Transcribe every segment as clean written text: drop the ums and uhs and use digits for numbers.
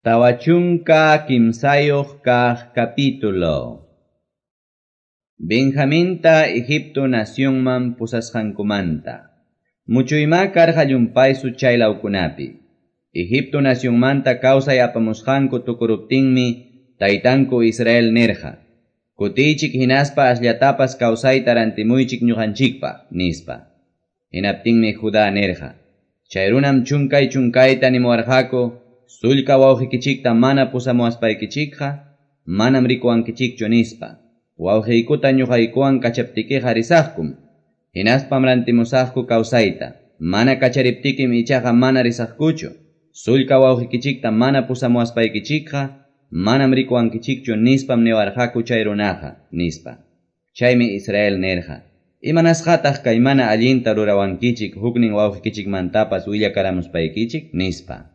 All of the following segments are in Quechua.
43 kaq capítulo. Benjaminta Egipto nacionman pusasqankumanta. Muchuymá karqa llumpaysu chay lawkunapi. Egipto nacionmanta kawsay apamusqanku tukuruptinmi taytanku Israel nirqa: "Kutiychik hinaspa asllatapas kawsayta rantimuychik ñuqanchikpaq", nispa. Hinaptinmi Judá nirqa: "Chay runam chunkay chunkayta nimuwarqaku, sullka wawqikichikta mana pusamuwaspaykichikqa manam rikuwankichikchu nispa. Wawqiykuta ñuqaykuwan kachaptikiqa risaqkum, hinaspam rantimusaqku kawsayta. Mana kachariptikim ichaqa mana risaqkuchu. Sullka wawqikichikta mana pusamuwaspaykichikqa manam rikuwankichikchu nispam niwarqaku chay runaqa", nispa. Chaymi Israel nirqa: "Imanasqataq kay mana allinta rurawankichik huknin wawqikichikmantapas willakaramuspaykichik?" nispa.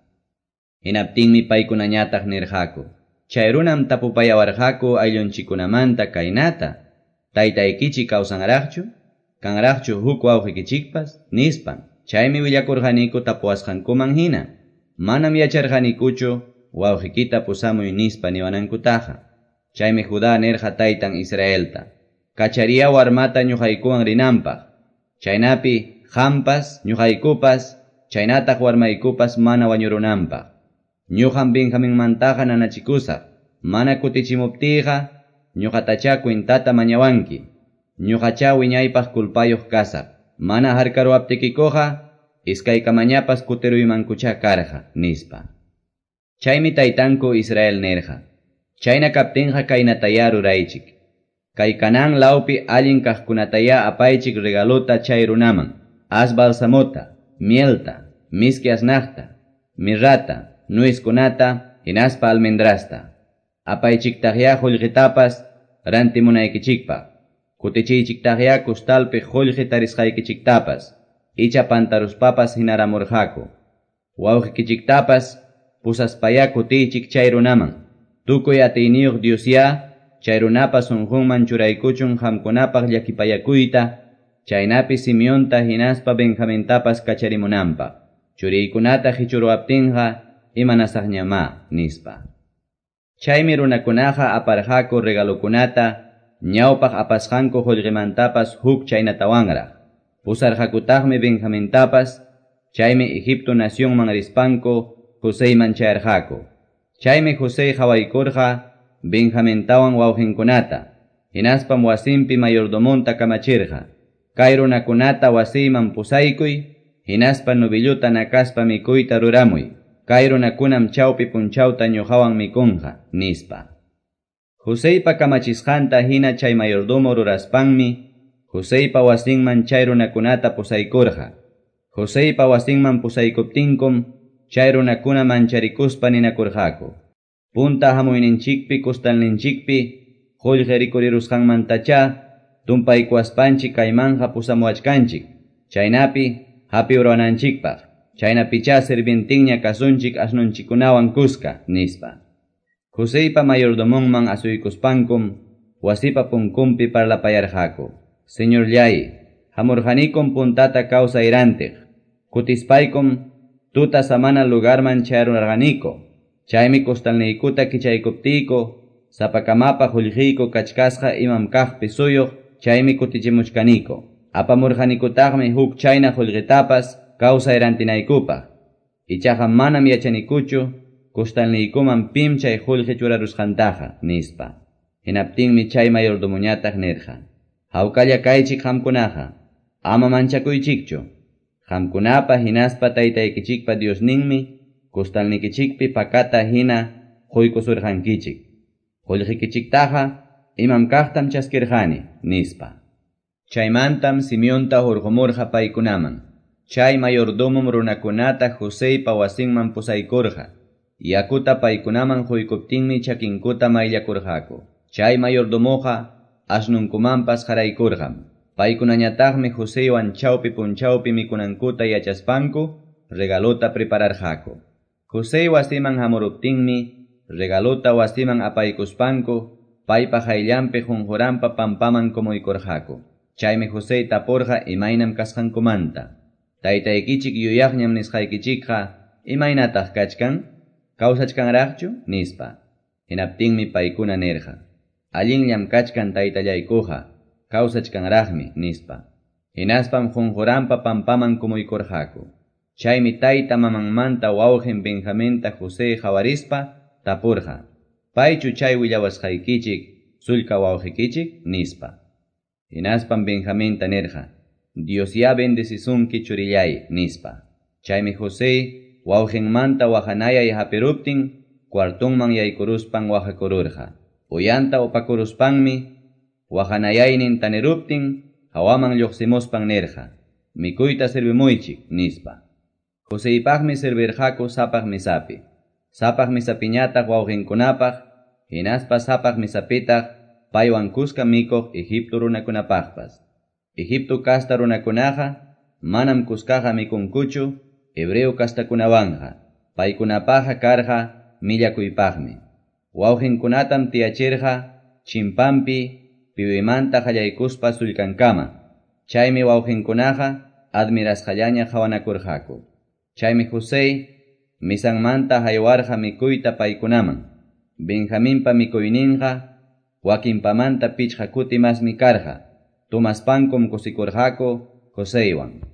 Hinaptinmi paykunañataq nirqaku: "Chay runam tapupayawarqaku ayllunchikkunamanta kaynata: Taytaykichik kawsanraqchu? Kanraqchu huk wawqikichikpas?" nispan. Chaymi willakurqaniku tapuwasqankuman hina. Manam yacharqanikuchu wawqikita pusamuy nispa niwanankutaqa. Chaymi Judá nirqa taytan Israelta: "Kachariya warmata ñuqaykuwan rinanpaq. Chaynapi qampas, ñuqaykupas, chaynataq warmaykupas mana wañurunanpaq. Ñuqam Benjaminmantaqa nanachikusaq. Mana kutichimuptiyqa ñuqatachá cuentata mañawanki. Ñuqachá wiñaypaq culpayuq kasaq. Mana harkaruwaptikikuqa iskaykamañapas kutiruymankuchá karqa", nispa. Chaymi taytanku Israel nirqa: "Chayna kaptinqa kaynatayá ruraychik. Kay Canaán lawpi allin kaqkunatayá apaychik regalota chay runaman: as balsamota, mielta, miski asnaqta, mirrata, nuiskunata, hinaspa almendrasta. Apaychiktaqyá qullqitapas rantimunaykichikpaq. Kutichiychiktaqyá kustalpi qullqi tarisqaykichiktapas, icha pantaruspapas hinaramurqaku. Wawqikichiktapas pusaspayá kutiychik chay runaman. Tukuy atiyniyuq Diosyá chay runapa sunqunman churaykuchun qamkunapaq llakipayakuyta, chaynapi Simeonta hinaspa Benjamintapas kacharimunanpaq. Churiykunata qichuruwaptinqa imanasaqñamá", nispa. Chaymi runakunaqa aparqaku regalokunata ñawpaq apasqanku qullqimantapas huk chaynatawanraq. Pusarqakutaqmi Benjamintapas, chaymi Egipto nacionman rispanku Joseyman chayarqaku. Chaymi José qhawaykurqa Benjamintawan wawqinkunata, hinaspam wasinpi mayordomonta kamachirqa: "Kay runakunata wasiyman pusaykuy, hinaspa novilluta nakaspa mikuyta ruramuy. Kay runakunam chawpi punchawta ñuqawan mikunqa", nispa. Joseypa kamachisqanta hina chay mayordomo ruraspanmi Joseypa wasinman chay runakunata pusaykurqa. Joseypa wasinman pusaykuptinkum chay runakuna mancharikuspa ninakurqaku: "Punta hamuyninchikpi kustalninchikpi qullqi rikurirusqanmantachá tumpaykuwaspanchik kaymanqa pusamuwachkanchik, chaynapi hapiruwananchikpaq. Chaynapichá sirvientinña kasunchik asnunchikkunawan kuska", nispa. Joseypa mayordomonman asuykuspankum wasipa punkunpi parlapayarqaku: "Señorllay, hamurqanikum puntata kawsay rantiq. Kutispaykum tuta samana lugarman chayarurqaniku. Chaymi kustalniykuta kichaykuptiyku sapakamapa qullqiyku kachkasqa imam kaqpi suyuq, chaymi kutichimuchkaniku. Apamurqanikutaqmi huk chayna qullqitapas kawsay rantinaykupaq. Ichaqa manam yachanikuchu kustalniykuman pim chay qullqi churarusqantaqa", nispa. Hinaptinmi chay mayordomoñataq nirqa: "Hawkalla kaychik qamkunaqa, ama manchakuychikchu. Qamkunapa hinaspa taytaykichikpa Diosninmi kustalnikichikpi pakata hina quykusurqankichik. Qullqikichiktaqa imam kaqtam chaskirqani", nispa. Chaymantam Simeonta hurqumurqa paykunaman. Chay mayordomom runakunata Joseypa wasinman pusaykurqa. Yakuta paykunaman quykuptinmi chakinkuta mayllakurqaku. Chay mayordomoqa asnunkumanpas qaraykurqam. Paykunañataqmi Joseywan chawpi punchawpi mikunankuta yachaspanku regalota prepararqaku. José wasiman hamuruptinmi regalota wasiman apaykuspanku paypa hayllanpi qunquranpa pampaman kumuykurqaku. Chaymi José tapurqa imaynam kasqankumanta: "Taytaykichik yuyaqñam nisqaykichikqa imaynataq kachkan? Kawsachkanraqchu? nispa. Hinaptinmi paykuna nirqa: Allinllam kachkan taytallaykuqa, kawsachkanraqmi, nispa. Hinaspam qunquranpa pampaman kumuykurqaku. Chaymi tayta mamanmanta wawqin Benjaminta José qawarispa tapurqa: Paychu chay willawasqaykichik sullka wawqikichik? nispa. Hinaspam Benjaminta nirqa: Diosyá bendecisunki churillay, nispa. Chaymi José wawqinmanta waqanayay hapiruptin cuartonman yaykuruspan waqakururqa. Uyanta upakuruspanmi waqanayaynin taniruptin hawaman lluqsimuspan nirqa: Mikuyta servimuychik, nispa. Joseypaqmi servirqaku sapaq misapi. Sapaq misapiñataq wawqinkunapaq, hinaspa sapaq misapitaq paywan kuska mikuq Egipto runakunapaqpas. Egipto kasta runakunaqa manam kuskaqa mikunkuchu hebreo kastakunawanqa. Paykunapaqqa karqa millakuypaqmi. Wawqinkunatam tiyachirqa chimpampi piwimanta qallaykuspa sullkankama. Chaymi wawqinkunaqa admirasqallaña qhawanakurqaku. Chaymi José misanmanta haywarqa mikuyta paykunaman. Benjaminpa mikuyninqa wakinpamanta pichqa kuti masmi karqa. Tomaspankum kusikurqaku Joseywan.